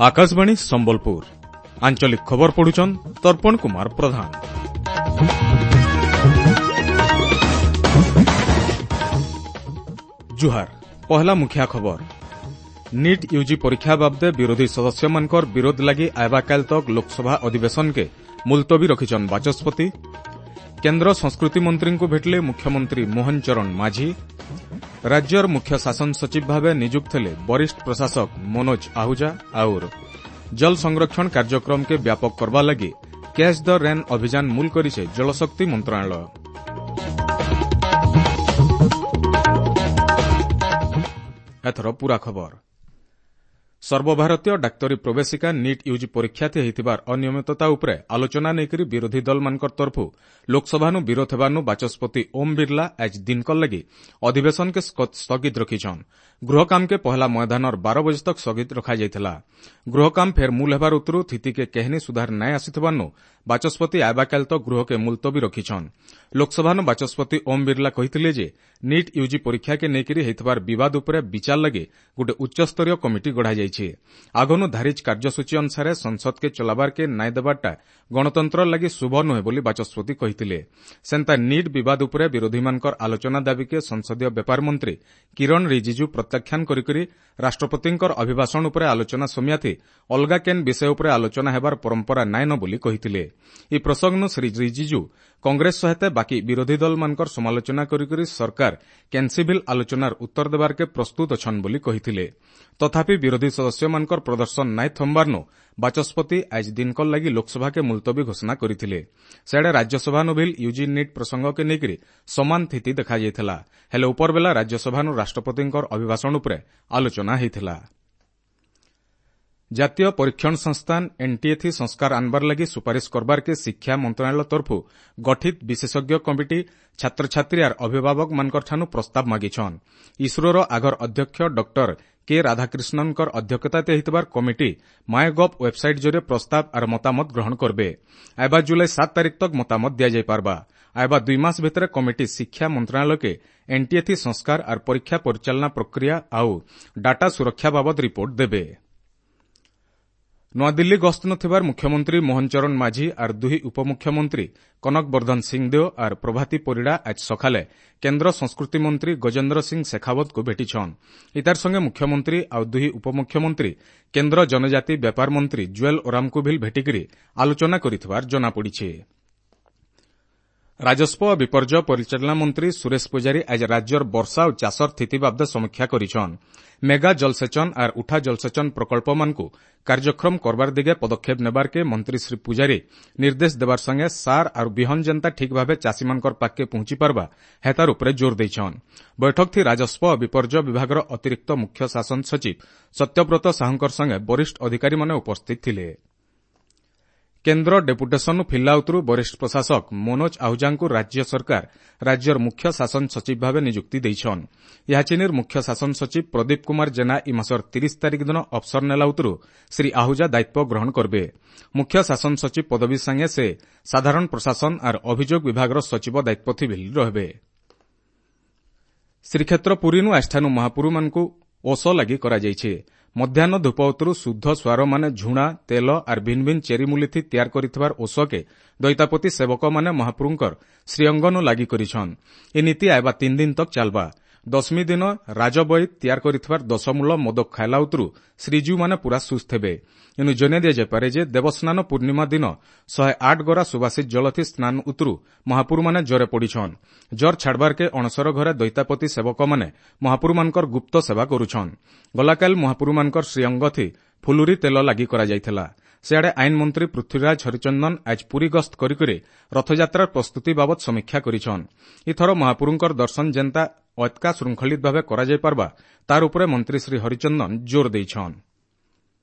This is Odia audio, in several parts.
Akashvani Sambalpur ଆଞ୍ଚଳିକ ଖବର ପଢୁଛନ୍ ତର୍ପଣ କୁମାର ପ୍ରଧାନ। ଜୁହାର, ପହଲା ମୁଖିଆ ଖବର। ନିଟ୍ ୟୁଜି ପରୀକ୍ଷା ବାବଦେ ବିରୋଧୀ ସଦସ୍ୟମାନଙ୍କର ବିରୋଧ ଲାଗି ଆଇବାକାଲ ତକ୍ ଲୋକସଭା ଅଧିବେଶନକେ ମୁଲତବୀ ରଖିଛନ୍ ବାଚସ୍ପତି। କେନ୍ଦ୍ର ସଂସ୍କୃତି ମନ୍ତ୍ରୀଙ୍କୁ ଭେଟିଲେ ମୁଖ୍ୟମନ୍ତ୍ରୀ ମୋହନ ଚରଣ ମାଝୀ। ରାଜ୍ୟର ମୁଖ୍ୟ ଶାସନ ସଚିବ ଭାବେ ନିଯୁକ୍ତ ହେଲେ ବରିଷ୍ଠ ପ୍ରଶାସକ ମନୋଜ ଆହୁଜା। ଆଉର ଜଳ ସଂରକ୍ଷଣ କାର୍ଯ୍ୟକ୍ରମକେ ବ୍ୟାପକ କରବା ଲାଗି କ୍ୟାଚ୍ ଦ ରେନ୍ ଅଭିଯାନ ମୂଲ କରିছে ଜଳଶକ୍ତି ମନ୍ତ୍ରଣାଳୟ। ଏଥର ପୂରା ଖବର। ସର୍ବଭାରତୀୟ ଡାକ୍ତରୀ ପ୍ରବେଶିକା ନିଟ୍ ୟୁଜି ପରୀକ୍ଷାଥି ହୋଇଥିବାର ଅନିୟମିତତା ଉପରେ ଆଲୋଚନା ନେଇକରି ବିରୋଧୀ ଦଳମାନଙ୍କର ତରଫୁ ଲୋକସଭାନୁ ବିରୋଧ ହେବାନୁ ବାଚସ୍ପତି ଓମ୍ ବିର୍ଲା ଆଜ ଦିନକର ଲାଗି ଅଧିବେଶନକେ ସ୍ଥଗିତ ରଖିଛନ୍। ଗୃହକାମକେ ପହଲା ମଇଦାନର 12 ବଜେ ତକ୍ ସ୍ଥଗିତ ରଖାଯାଇଥିଲା। ଗୃହକାମ ଫେର୍ ମୂଲ ହେବାର ଉତ୍ତରୁ ସ୍ଥିତିକେ କେହନି ସୁଧାର ନାଇଁ ଆସିଥିବାନୁ ବାଚସ୍ପତି ଆଇବାକାଲ ତକ୍ ଗୃହକେ ମୁଲତବୀ ରଖିଛନ୍। ଲୋକସଭାନୁ ବାଚସ୍ପତି ଓମ୍ ବିର୍ଲା କହିଥିଲେ ଯେ ନିଟ୍ ୟୁଜି ପରୀକ୍ଷାକେ ନେଇକରି ହେଇଥିବାର ବିବାଦ ଉପରେ ବିଚାର ଲାଗି ଗୋଟେ ଉଚ୍ଚସ୍ତରୀୟ କମିଟି ଗଢ଼ାଯାଇଛି। ଆଗନୁ ଧାରିଜ କାର୍ଯ୍ୟସୂଚୀ ଅନୁସାରେ ସଂସଦକେ ଚଲାବାରକେ ନାଇଁ ଦେବାରଟା ଗଣତନ୍ତ୍ର ଲାଗି ଶୁଭ ନୁହେଁ ବୋଲି ବାଚସ୍ପତି କହିଥିଲେ। ସେନ୍ତା ନିଟ୍ ବିବାଦ ଉପରେ ବିରୋଧୀମାନଙ୍କର ଆଲୋଚନା ଦାବିକେ ସଂସଦୀୟ ବ୍ୟାପାର ମନ୍ତ୍ରୀ କିରଣ ରିଜିଜୁ ପ୍ରତ୍ୟାଖ୍ୟାନ କରିକରି ରାଷ୍ଟ୍ରପତିଙ୍କର ଅଭିଭାଷଣ ଉପରେ ଆଲୋଚନା ସମିୟାଥି ଅଲଗା କେନ୍ ବିଷୟ ଉପରେ ଆଲୋଚନା ହେବାର ପରମ୍ପରା ନାଇଁନ ବୋଲି କହିଥିଲେ। ଏହି ପ୍ରସଙ୍ଗନୁ ଶ୍ରୀ ରିଜିଜୁ କଂଗ୍ରେସ ସହିତ ବାକି ବିରୋଧୀ ଦଳମାନଙ୍କର ସମାଲୋଚନା କରିକରି ସରକାର କେନ୍ସିଭିଲ୍ ଆଲୋଚନାର ଉତ୍ତର ଦେବାରକେ ପ୍ରସ୍ତୁତ ଅଛନ୍ ବୋଲି କହିଥିଲେ। ତଥାପି ବିରୋଧୀ ସଦସ୍ୟମାନଙ୍କର ପ୍ରଦର୍ଶନ ନାଇଁ ଥମ୍ବାରନୁ ବାଚସ୍ପତି ଆଜ ଦିନକର ଲାଗି ଲୋକସଭାକେ ମୁଲତବୀ ଘୋଷଣା କରିଥିଲେ। ସେଆଡ଼େ ରାଜ୍ୟସଭାନୁ ଭିଲ୍ ୟୁଜି ନିଟ୍ ପ୍ରସଙ୍ଗକେ ନେଇକରି ସମାନ ସ୍ଥିତି ଦେଖାଯାଇଥିଲା। ହେଲେ ଉପରବେଲା ରାଜ୍ୟସଭାନୁ ରାଷ୍ଟ୍ରପତିଙ୍କର ଅଭିଭାଷଣ ଉପରେ ଆଲୋଚନା ହୋଇଥିଲା। ଜାତୀୟ ପରୀକ୍ଷଣ ସଂସ୍ଥାନ ଏନ୍ଟିଏ ସଂସ୍କାର ଆନବାର ଲାଗି ସୁପାରିଶ କରବାରକେ ଶିକ୍ଷା ମନ୍ତ୍ରଣାଳୟ ତରଫୁ ଗଠିତ ବିଶେଷଜ୍ଞ କମିଟି ଛାତ୍ରଛାତ୍ରୀ ଆର୍ ଅଭିଭାବକମାନଙ୍କଠାନୁ ପ୍ରସ୍ତାବ ମାଗିଛନ୍। ଇସ୍ରୋର ଆଗର ଅଧ୍ୟକ୍ଷ ଡକ୍ଟର କେ ରାଧାକ୍ରିଷ୍ଣନଙ୍କର ଅଧ୍ୟକ୍ଷତାରେ ହେଇଥିବାର କମିଟି ମାଏଗଭ୍ ୱେବସାଇଟ୍ ଜରିଏ ପ୍ରସ୍ତାବ ଆର୍ ମତାମତ ଗ୍ରହଣ କରବେ। ଆଇବା ଜୁଲାଇ 7 ତାରିଖ ତକ୍ ମତାମତ ଦିଆଯାଇପାରବା। ଆଇବା 2 ମାସ ଭିତରେ କମିଟି ଶିକ୍ଷା ମନ୍ତ୍ରଣାଳୟକେ ଏନ୍ଟିଏ ସଂସ୍କାର ଆର୍ ପରୀକ୍ଷା ପରିଚାଳନା ପ୍ରକ୍ରିୟା ଆଉ ଡାଟା ସୁରକ୍ଷା ବାବଦ ରିପୋର୍ଟ ଦେବେ। ନୂଆଦିଲ୍ଲୀ ଗସ୍ତ ନଥିବାର ମୁଖ୍ୟମନ୍ତ୍ରୀ ମୋହନ ଚରଣ ମାଝୀ ଆର୍ ଦୁହି ଉପମୁଖ୍ୟମନ୍ତ୍ରୀ କନକ ବର୍ଦ୍ଧନ ସିଂଦେଓ ଆର୍ ପ୍ରଭାତୀ ପରିଡ଼ା ଆଜ ସକାଳେ କେନ୍ଦ୍ର ସଂସ୍କୃତି ମନ୍ତ୍ରୀ ଗଜେନ୍ଦ୍ର ସିଂ ଶେଖାୱତଙ୍କୁ ଭେଟିଛନ୍। ଇତାର ସଙ୍ଗେ ମୁଖ୍ୟମନ୍ତ୍ରୀ ଆଉ ଦୁହି ଉପମୁଖ୍ୟମନ୍ତ୍ରୀ କେନ୍ଦ୍ର ଜନଜାତି ବ୍ୟାପାର ମନ୍ତ୍ରୀ ଜୁଏଲ ଓରାମଙ୍କୁ ଭିଲ୍ ଭେଟିକରି ଆଲୋଚନା କରିଥିବାର ଜଣାପଡ଼ିଛି। ରାଜସ୍ୱ ଓ ବିପର୍ଯ୍ୟୟ ପରିଚାଳନା ମନ୍ତ୍ରୀ ସୁରେଶ ପୂଜାରୀ ଆଜି ରାଜ୍ୟର ବର୍ଷା ଓ ଚାଷର ସ୍ଥିତି ବାବଦେ ସମୀକ୍ଷା କରିଛନ୍। ମେଗା ଜଳସେଚନ ଆର୍ ଉଠା ଜଳସେଚନ ପ୍ରକଳ୍ପମାନଙ୍କୁ କାର୍ଯ୍ୟକ୍ଷମ କରବାର ଦିଗେ ପଦକ୍ଷେପ ନେବାରକେ ମନ୍ତ୍ରୀ ଶ୍ରୀ ପୂଜାରୀ ନିର୍ଦ୍ଦେଶ ଦେବାର ସଙ୍ଗେ ସାର୍ ଆର୍ ବିହନ ଯେନ୍ତା ଠିକ୍ ଭାବେ ଚାଷୀମାନଙ୍କର ପାଖକେ ପହଞ୍ଚି ପାରବା ହେତାର ଉପରେ ଜୋର ଦେଇଛନ୍। ବୈଠକଥି ରାଜସ୍ୱ ଓ ବିପର୍ଯ୍ୟୟ ବିଭାଗର ଅତିରିକ୍ତ ମୁଖ୍ୟ ଶାସନ ସଚିବ ସତ୍ୟବ୍ରତ ସାହୁଙ୍କର ସଙ୍ଗେ ବରିଷ୍ଠ ଅଧିକାରୀମାନେ ଉପସ୍ଥିତ ଥିଲେ। କେନ୍ଦ୍ର ଡେପୁଟେସନରୁ ଫିଲ୍ଲା ଉତ୍ତରୁ ବରିଷ୍ଠ ପ୍ରଶାସକ ମନୋଜ ଆହୁଜାଙ୍କୁ ରାଜ୍ୟ ସରକାର ରାଜ୍ୟର ମୁଖ୍ୟ ଶାସନ ସଚିବ ଭାବେ ନିଯୁକ୍ତି ଦେଇଛନ୍। ଏହାଚିନିର ମୁଖ୍ୟ ଶାସନ ସଚିବ ପ୍ରଦୀପ କୁମାର ଜେନା ଇ ମାସର 30 ତାରିଖ ଦିନ ଅବସର ନେଲା ଉତ୍ତରୁ ଶ୍ରୀ ଆହୁଜା ଦାୟିତ୍ୱ ଗ୍ରହଣ କରିବେ। ମୁଖ୍ୟ ଶାସନ ସଚିବ ପଦବୀ ସାଙ୍ଗେ ସେ ସାଧାରଣ ପ୍ରଶାସନ ଆର୍ ଅଭିଯୋଗ ବିଭାଗର ସଚିବ ଦାୟିତ୍ୱ ଥି ରହିବେ। ଶ୍ରୀକ୍ଷେତ୍ର ପୁରୀନୁ ଆଜିଠାନୁ ମହାପୁରୁମାନଙ୍କୁ ଓଷ ଲାଗି କରାଯାଇଛି। ମଧ୍ୟାହ୍ନ ଧୂପ ଉତ୍ତରୁ ଶୁଦ୍ଧ ସ୍ୱାରମାନେ ଝୁଣା, ତେଲ ଆର୍ ଭିନ୍ ଭିନ୍ ଚେରିମୂଲିଥି ତିଆର କରିଥିବାର ଓଷକେ ଦୈତାପତି ସେବକମାନେ ମହାପ୍ରଭୁଙ୍କର ଶ୍ରୀଅଙ୍ଗନୁ ଲାଗି କରିଛନ୍। ଏ ନୀତି ଆଇବା 3 ଦିନ ତକ୍ ଚାଲବା। ଦଶମୀ ଦିନ ରାଜବୈଦ ତିଆର କରିଥିବାର ଦଶମୂଳ ମୋଦକ ଖାଇଲା ଉତ୍ତରୁ ଶ୍ରୀଜୀଉମାନେ ପୁରା ସୁସ୍ଥ ହେବେ। ଏନୁ ଜଣାଇ ଦିଆଯାଇପାରେ ଯେ ଦେବସ୍ନାନ ପୂର୍ଣ୍ଣିମା ଦିନ 108 ଗରା ସୁବାସିତ ଜଳଥି ସ୍ନାନ ଉତ୍ତରୁ ମହାପୁରୁମାନେ ଜରେ ପଡ଼ିଛନ୍। ଜର ଛାଡ଼ବାରକେ ଅଣସର ଘରେ ଦୈତାପତି ସେବକମାନେ ମହାପୁରୁମାନଙ୍କର ଗୁପ୍ତ ସେବା କରୁଛନ୍। ଗଲାକାଲ ମହାପୁରୁମାନଙ୍କର ଶ୍ରୀଅଙ୍ଗଥି ଫୁଲୁରି ତେଲ ଲାଗି କରାଯାଇଥିଲା। ସେଆଡ଼େ ଆଇନ ମନ୍ତ୍ରୀ ପୃଥ୍ୱୀରାଜ ହରିଚନ୍ଦନ ଆଜ ପୁରୀ ଗସ୍ତ କରିକରି ରଥଯାତ୍ରାର ପ୍ରସ୍ତୁତି ବାବଦ ସମୀକ୍ଷା କରିଛନ୍। ଏଥର ମହାପୁରୁଙ୍କର ଦର୍ଶନ ଯେନ୍ତା ଅତ୍କା ଶୃଙ୍ଖଳିତ ଭାବେ କରାଯାଇପାରବା ତାର ଉପରେ ମନ୍ତ୍ରୀ ଶ୍ରୀ ହରିଚନ୍ଦନ ଜୋର ଦେଇଛନ୍।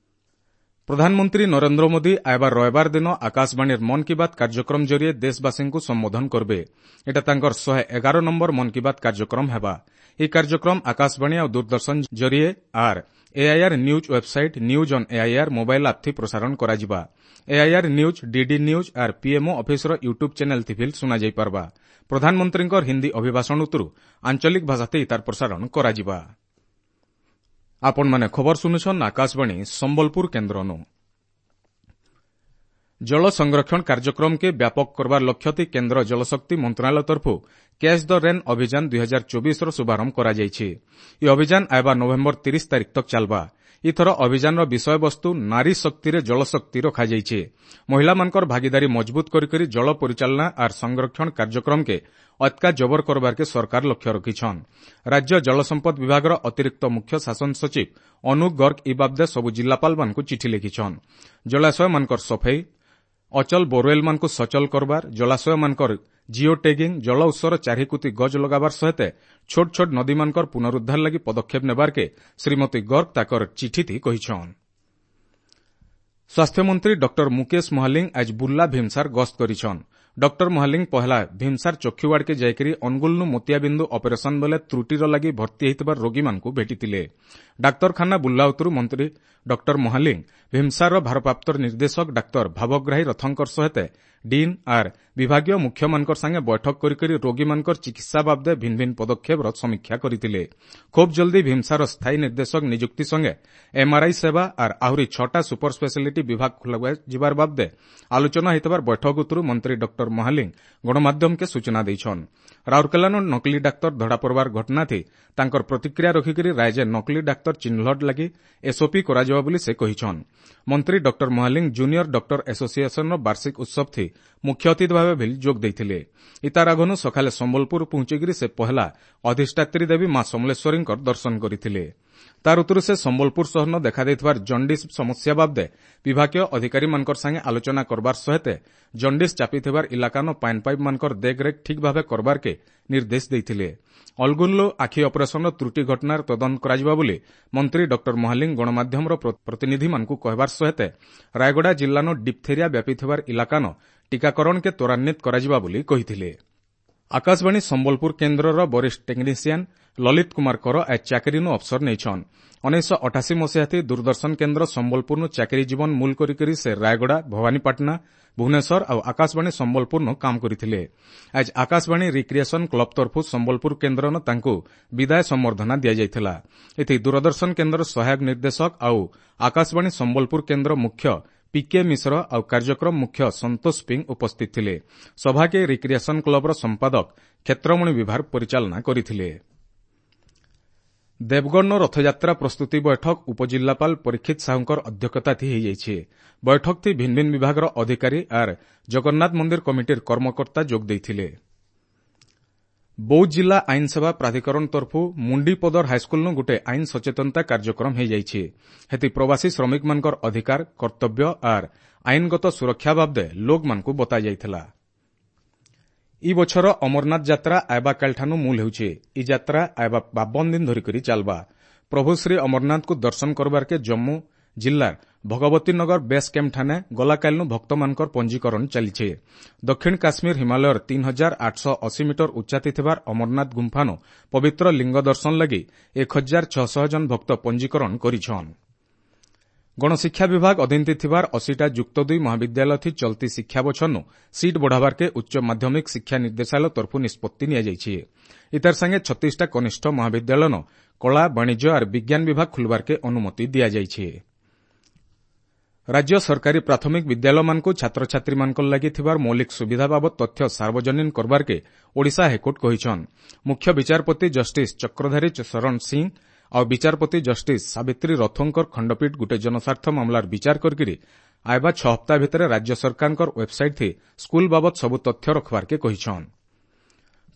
ପ୍ରଧାନମନ୍ତ୍ରୀ ନରେନ୍ଦ୍ର ମୋଦି ଆଇବାର ରବିବାର ଦିନ ଆକାଶବାଣୀର ମନ୍ କି ବାତ୍ କାର୍ଯ୍ୟକ୍ରମ ଜରିଏ ଦେଶବାସୀଙ୍କୁ ସମ୍ବୋଧନ କରିବେ। ଏଟା ତାଙ୍କର 111 ନମ୍ବର ମନ୍ କି ବାତ୍ କାର୍ଯ୍ୟକ୍ରମ ହେବା। ଏହି କାର୍ଯ୍ୟକ୍ରମ ଆକାଶବାଣୀ ଆଉ ଦୂରଦର୍ଶନ ଜରିଏ ଆର୍ AIR news website, news on AIR mobile app ଥି ପ୍ରସାରଣ କରାଯିବା। ଏଆଇଆର୍ ନ୍ୟୁଜ୍, ଡିଡି ନ୍ୟୁଜ୍ ଆର୍ ପିଏମ୍ଓ ଅଫିସର ୟୁଟ୍ୟୁବ୍ ଚ୍ୟାନେଲ୍ ଥି ଫିଲ୍ ଶୁଣାଯାଇପାରବା। ପ୍ରଧାନମନ୍ତ୍ରୀଙ୍କର ହିନ୍ଦୀ ଅଭିଭାଷଣ ଉତ୍ତରୁ ଆଞ୍ଚଳିକ ଭାଷାତେ ଇତାର ପ୍ରସାରଣ କରାଯିବା। ଆପଣମାନେ ଖବର ଶୁଣୁଛନ୍ ଆକାଶବାଣୀ ସମ୍ବଲପୁର କେନ୍ଦ୍ରନୁ। ଜଳ ସଂରକ୍ଷଣ କାର୍ଯ୍ୟକ୍ରମକେ ବ୍ୟାପକ କରବାର ଲକ୍ଷ୍ୟଥି କେନ୍ଦ୍ର ଜଳଶକ୍ତି ମନ୍ତ୍ରଣାଳୟ ତରଫୁ କ୍ୟାଚ୍ the rain ଅଭିଯାନ 2024ର ଶୁଭାରମ୍ଭ କରାଯାଇଛି। ଏହି ଅଭିଯାନ ଆଇବା ନଭେମ୍ବର 30 ତାରିଖ ତକ୍ ଚାଲବା। ଇଥର ଅଭିଯାନର ବିଷୟବସ୍ତୁ ନାରୀ ଶକ୍ତିରେ ଜଳଶକ୍ତି ରଖାଯାଇଛି। ମହିଳାମାନଙ୍କର ଭାଗିଦାରୀ ମଜବୁତ କରିକରି ଜଳ ପରିଚାଳନା ଆର୍ ସଂରକ୍ଷଣ କାର୍ଯ୍ୟକ୍ରମକେ ଅତ୍କା ଜବର କରବାରକେ ସରକାର ଲକ୍ଷ୍ୟ ରଖିଛନ୍। ରାଜ୍ୟ ଜଳସମ୍ପଦ ବିଭାଗର ଅତିରିକ୍ତ ମୁଖ୍ୟ ଶାସନ ସଚିବ ଅନୁପ ଗର୍ଗ ଇ ବାବଦେ ସବୁ ଜିଲ୍ଲାପାଳମାନଙ୍କୁ ଚିଠି ଲେଖିଛନ୍। ଜଳାଶୟମାନଙ୍କର ସଫେଇ, ଅଚଳ ବୋରୱେଲ୍ମାନଙ୍କୁ ସଚଳ କରବାର, ଜଳାଶୟମାନଙ୍କର ଜିଓ ଟେଗିଂ, ଜଳ ଉତ୍ସର ଚାରିକୁତି ଗଜ ଲଗାବାର ସହିତ ଛୋଟ ଛୋଟ ନଦୀମାନଙ୍କର ପୁନରୁଦ୍ଧାର ଲାଗି ପଦକ୍ଷେପ ନେବାରକେ ଶ୍ରୀମତୀ ଗର୍ଗ ତାକର ଚିଠିଥି କହିଛନ୍। ସ୍ୱାସ୍ଥ୍ୟମନ୍ତ୍ରୀ ଡକ୍ଟର ମୁକେଶ ମହାଲିଙ୍ଗ ଆଜ ବୁର୍ଲା ଭୀମସାର ଗସ୍ତ କରିଛନ୍। ଡକ୍ଟର ମହାଲିଙ୍ଗ ପହଲା ଭୀମସାର ଚକ୍ଷୁୱାର୍ଡକେ ଯାଇକରି ଅନୁଗୁଳନୁ ମୋତିଆବିନ୍ଦୁ ଅପରେସନ ବେଲେ ତ୍ରୁଟିର ଲାଗି ଭର୍ତ୍ତି ହୋଇଥିବା ରୋଗୀମାନଙ୍କୁ ଭେଟିଥିଲେ। ଡାକ୍ତରଖାନା ବୁର୍ଲା ଉତ୍ତରୁ ମନ୍ତ୍ରୀ ଡକ୍ଟର ମହାଲିଙ୍ଗ ଭୀମସାରର ଭାରପ୍ରାପ୍ତ ନିର୍ଦ୍ଦେଶକ ଡାକ୍ତର ଭାବଗ୍ରାହୀ ରଥଙ୍କର ସହିତ ଡିନ୍ ଆର୍ ବିଭାଗୀୟ ମୁଖ୍ୟମାନଙ୍କର ସାଙ୍ଗେ ବୈଠକ କରିକରି ରୋଗୀମାନଙ୍କର ଚିକିତ୍ସା ବାବଦେ ଭିନ୍ନ ଭିନ୍ନ ପଦକ୍ଷେପର ସମୀକ୍ଷା କରିଥିଲେ। ଖୁବ୍ ଜଲ୍ଦି ଭୀମସାର ସ୍ଥାୟୀ ନିର୍ଦ୍ଦେଶକ ନିଯୁକ୍ତି ସଙ୍ଗେ ଏମ୍ଆର୍ଆଇ ସେବା ଆର୍ ଆହୁରି 6ଟା ସୁପର ସ୍ପେଶାଲିଟି ବିଭାଗ ଖୋଲାଯିବାର ବାବଦେ ଆଲୋଚନା ହୋଇଥିବାର ବୈଠକ ଉତ୍ତରୁ ମନ୍ତ୍ରୀ ଡକ୍ଟର ମହାଲିଙ୍ଗ ଗଣମାଧ୍ୟମକେ ସୂଚନା ଦେଇଛନ୍। ରାଉରକେଲାନୁ ନକଲି ଡାକ୍ତର ଧରାପଡ଼ବାର ଘଟଣାଥି ତାଙ୍କର ପ୍ରତିକ୍ରିୟା ରଖିକରି ରାଜ୍ୟ ନକଲି ଡାକ୍ତର ଚିହ୍ନଟ ଲାଗି ଏସ୍ଓପି କରାଯିବ ବୋଲି ସେ କହିଛନ୍। ମନ୍ତ୍ରୀ ଡକ୍ଟର ମହାଲିଙ୍ଗ ଜୁନିୟର ଡକ୍ଟର ଆସୋସିଏସନର ବାର୍ଷିକ ଉତ୍ସବଥି ମୁଖ୍ୟ ଅତିଥି ଭାବେ ଭିଲ୍ ଯୋଗ ଦେଇଥିଲେ। ଇତାର ଆଗନୁ ସକାଳେ ସମ୍ବଲପୁର ପହଞ୍ଚିକରି ସେ ପହଲା ଅଧିଷ୍ଠାତ୍ରୀ ଦେବୀ ମା ସମଲେଶ୍ୱରୀଙ୍କର ଦର୍ଶନ କରିଥିଲେ। ତାର ଉତ୍ତରୁ ସେ ସମ୍ବଲପୁର ସହରନ ଦେଖାଦେଇଥିବାର ଜଣ୍ଡିସ୍ ସମସ୍ୟା ବାବଦେ ବିଭାଗୀୟ ଅଧିକାରୀମାନଙ୍କର ସାଙ୍ଗେ ଆଲୋଚନା କରବାର ସହିତ ଜଣ୍ଡିସ୍ ଚାପିଥିବାର ଇଲାକାନ ପାଇନ୍ ପାଇପ୍ମାନଙ୍କର ଦେଖରେଖ ଠିକ୍ ଭାବେ କରବାରକେ ନିର୍ଦ୍ଦେଶ ଦେଇଥିଲେ। ଅଲଗୁନ୍ଲୋ ଆଖି ଅପରେସନର ତ୍ରୁଟି ଘଟଣାର ତଦନ୍ତ କରାଯିବ ବୋଲି ମନ୍ତ୍ରୀ ଡକ୍ଟର ମହାଲିଙ୍ଗ ଗଣମାଧ୍ୟମର ପ୍ରତିନିଧିମାନଙ୍କୁ କହିବାର ସହିତ ରାୟଗଡ଼ା ଜିଲ୍ଲାନ ଡିପ୍ଥେରିଆ ବ୍ୟାପିଥିବାର ଇଲାକାନ ଟିକାକରଣକେ ତ୍ୱରାନ୍ୱିତ କରାଯିବ ବୋଲି କହିଥିଲେ। ଆକାଶବାଣୀ ସମ୍ବଲପୁର କେନ୍ଦ୍ରର ବରିଷ୍ଠ ଟେକ୍ନିସିଆନ୍ ଲଲିତ କୁମାର କର ଆଜ ଚାକିରିନୁ ଅବସର ନେଇଛନ୍। 1988 ମସିହାଥି ଦୂରଦର୍ଶନ କେନ୍ଦ୍ର ସମ୍ବଲପୁରନୁ ଚାକିରି ଜୀବନ ମୂଲ କରିକରି ସେ ରାୟଗଡ଼ା, ଭବାନୀପାଟଣା, ଭୁବନେଶ୍ୱର ଆଉ ଆକାଶବାଣୀ ସମ୍ବଲପୁରନୁ କାମ କରିଥିଲେ। ଆଜ ଆକାଶବାଣୀ ରିକ୍ରିଏସନ କ୍ଲବ ତରଫୁ ସମ୍ବଲପୁର କେନ୍ଦ୍ରନ ତାଙ୍କୁ ବିଦାୟ ସମ୍ବର୍ଦ୍ଧନା ଦିଆଯାଇଥିଲା। ଏଥି ଦୂରଦର୍ଶନ କେନ୍ଦ୍ର ସହାୟକ ନିର୍ଦ୍ଦେଶକ ଆଉ ଆକାଶବାଣୀ ସମ୍ବଲପୁର କେନ୍ଦ୍ର ମୁଖ୍ୟ ପିକେ ମିଶ୍ର ଆଉ କାର୍ଯ୍ୟକ୍ରମ ମୁଖ୍ୟ ସନ୍ତୋଷ ପିଂ ଉପସ୍ଥିତ ଥିଲେ। ସଭାକେ ରିକ୍ରିଏସନ କ୍ଲବର ସମ୍ପାଦକ କ୍ଷେତ୍ରମଣି ବିଭାଗ ପରିଚାଳନା କରିଥିଲେ। ଦେବଗଡ଼ର ରଥଯାତ୍ରା ପ୍ରସ୍ତୁତି ବୈଠକ ଉପଜିଲ୍ଲାପାଳ ପରୀକ୍ଷିତ ସାହୁଙ୍କର ଅଧ୍ୟକ୍ଷତାଥି ହୋଇଯାଇଛି। ବୈଠକଥି ଭିନ୍ନ ଭିନ୍ନ ବିଭାଗର ଅଧିକାରୀ ଆର୍ ଜଗନ୍ନାଥ ମନ୍ଦିର କମିଟିର କର୍ମକର୍ତ୍ତା ଯୋଗ ଦେଇଥିଲେ। ବୌଦ୍ଧ ଜିଲ୍ଲା ଆଇନ ସେବା ପ୍ରାଧିକରଣ ତରଫୁ ମୁଣ୍ଡିପଦର ହାଇସ୍କୁଲନୁ ଗୋଟିଏ ଆଇନ ସଚେତନତା କାର୍ଯ୍ୟକ୍ରମ ହୋଇଯାଇଛି। ହେତି ପ୍ରବାସୀ ଶ୍ରମିକମାନଙ୍କର ଅଧିକାର, କର୍ତ୍ତବ୍ୟ ଆର୍ ଆଇନଗତ ସୁରକ୍ଷା ବାବଦେ ଲୋକମାନଙ୍କୁ ବତାଯାଇଥିଲା। ଇ ବଛର ଅମରନାଥ ଯାତ୍ରା ଆଇବା କାଲିଠାନୁ ମୂଲ ହେଉଛି। ଇ ଯାତ୍ରା ଆଇବା 52 ଦିନ ଧରିକରି ଚାଲବା। ପ୍ରଭୁ ଶ୍ରୀ ଅମରନାଥଙ୍କୁ ଦର୍ଶନ କରବାରକେ ଜମ୍ମୁ ଜିଲ୍ଲାର ଭଗବତୀନଗର ବେସ୍ କ୍ୟାମ୍ପ ଠାନେ ଗଲାକାଲିନୁ ଭକ୍ତମାନଙ୍କର ପଞ୍ଜୀକରଣ ଚାଲିଛି। ଦକ୍ଷିଣ କାଶ୍ମୀର ହିମାଳୟର 3880 ମିଟର ଉଚ୍ଚାତି ଥିବାର ଅମରନାଥ ଗୁମ୍ଫାନୁ ପବିତ୍ର ଲିଙ୍ଗ ଦର୍ଶନ ଲାଗି 1600 ଜଣ ଭକ୍ତ ପଞ୍ଜୀକରଣ କରିଛନ୍। ଗଣଶିକ୍ଷା ବିଭାଗ ଅଧୀନରେ ଥିବାର 80ଟା ଯୁକ୍ତ 2 ମହାବିଦ୍ୟାଳୟ ଚଲତି ଶିକ୍ଷା ବଛରନୁ ସିଟ୍ ବଢ଼ାବାରକେ ଉଚ୍ଚ ମାଧ୍ୟମିକ ଶିକ୍ଷା ନିର୍ଦ୍ଦେଶାଳୟ ତରଫୁ ନିଷ୍ପତ୍ତି ନିଆଯାଇଛି। ଇତାର ସାଙ୍ଗେ 36ଟା କନିଷ୍ଠ ମହାବିଦ୍ୟାଳୟନ କଳା, ବାଣିଜ୍ୟ ଆର୍ ବିଜ୍ଞାନ ବିଭାଗ ଖୋଲବାରକେ ଅନୁମତି ଦିଆଯାଇଛି। ରାଜ୍ୟ ସରକାରୀ ପ୍ରାଥମିକ ବିଦ୍ୟାଳୟମାନଙ୍କୁ ଛାତ୍ରଛାତ୍ରୀମାନଙ୍କ ଲାଗି ଥିବାର ମୌଳିକ ସୁବିଧା ବାବଦ ତଥ୍ୟ ସାର୍ବଜନୀନ କରବାରକେ ଓଡ଼ିଶା ହାଇକୋର୍ଟ କହିଛନ୍। ମୁଖ୍ୟ ବିଚାରପତି ଜଷ୍ଟିସ୍ ଚକ୍ରଧାରୀ ଶରଣ ସିଂ ଆଉ ବିଚାରପତି ଜଷ୍ଟିସ୍ ସାବିତ୍ରୀ ରଥଙ୍କର ଖଣ୍ଡପୀଠ ଗୋଟିଏ ଜନସ୍ୱାର୍ଥ ମାମଲାର ବିଚାର କରିକିରି ଆଇବା 6 ହପ୍ତା ଭିତରେ ରାଜ୍ୟ ସରକାରଙ୍କର ୱେବ୍ସାଇଟ୍ ସ୍କୁଲ ବାବଦ ସବୁ ତଥ୍ୟ ରଖବାରକେ କହିଛନ୍।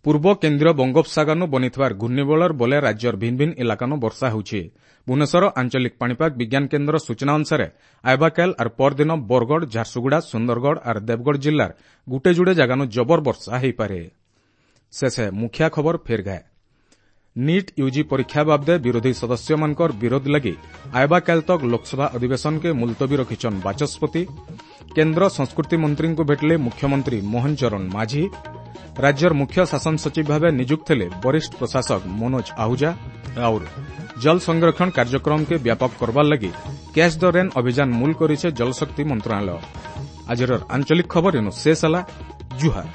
ପୂର୍ବ କେନ୍ଦ୍ରୀୟ ବଙ୍ଗୋପସାଗରନୁ ବନିଥିବାର ଘୂର୍ଣ୍ଣିବଳର ବଲେ ରାଜ୍ୟର ଭିନ୍ନ ଭିନ୍ନ ଇଲାକାନୁ ବର୍ଷା ହେଉଛି। ଭୁବନେଶ୍ୱର ଆଞ୍ଚଳିକ ପାଣିପାଗ ବିଜ୍ଞାନ କେନ୍ଦ୍ର ସୂଚନା ଅନୁସାରେ ଆଇବାକାଲ ଆର୍ ପରଦିନ ବରଗଡ଼, ଝାରସୁଗୁଡ଼ା, ସୁନ୍ଦରଗଡ଼ ଆର୍ ଦେବଗଡ଼ ଜିଲ୍ଲାର ଗୁଟେ ଯୁଡ଼େ ଜାଗାନୁ ଜବର ବର୍ଷା ହୋଇପାରେ। ଶେଷେ ମୁଖିଆ ଖବର ଫେର୍ ଗାଏ। ନିଟ୍ ୟୁଜି ପରୀକ୍ଷା ବାବଦେ ବିରୋଧୀ ସଦସ୍ୟମାନଙ୍କର ବିରୋଧ ଲାଗି ଆଇବାକାଲ ତକ୍ ଲୋକସଭା ଅଧିବେଶନକେ ମୁଲତବୀ ରଖିଛନ୍ ବାଚସ୍ପତି। କେନ୍ଦ୍ର ସଂସ୍କୃତି ମନ୍ତ୍ରୀଙ୍କୁ ଭେଟିଲେ ମୁଖ୍ୟମନ୍ତ୍ରୀ ମୋହନ ଚରଣ ମାଝୀ। ରାଜ୍ୟର ମୁଖ୍ୟ ଶାସନ ସଚିବ ଭାବେ ନିଯୁକ୍ତ ହେଲେ ବରିଷ୍ଠ ପ୍ରଶାସକ ମନୋଜ ଆହୁଜା। और ଜଳ ସଂରକ୍ଷଣ କାର୍ଯ୍ୟକ୍ରମକେ ବ୍ୟାପକ କରବାର ଲାଗି କ୍ୟାଚ୍ the rain ଅଭିଯାନ ମୂଲ କରିଛେ ଜଳଶକ୍ତି ମନ୍ତ୍ରଣାଳୟ। ଆଜିର ଆଞ୍ଚଳିକ ଖବର ଏନୁ ଶେଷ ହେଲା। ଜୁହାର।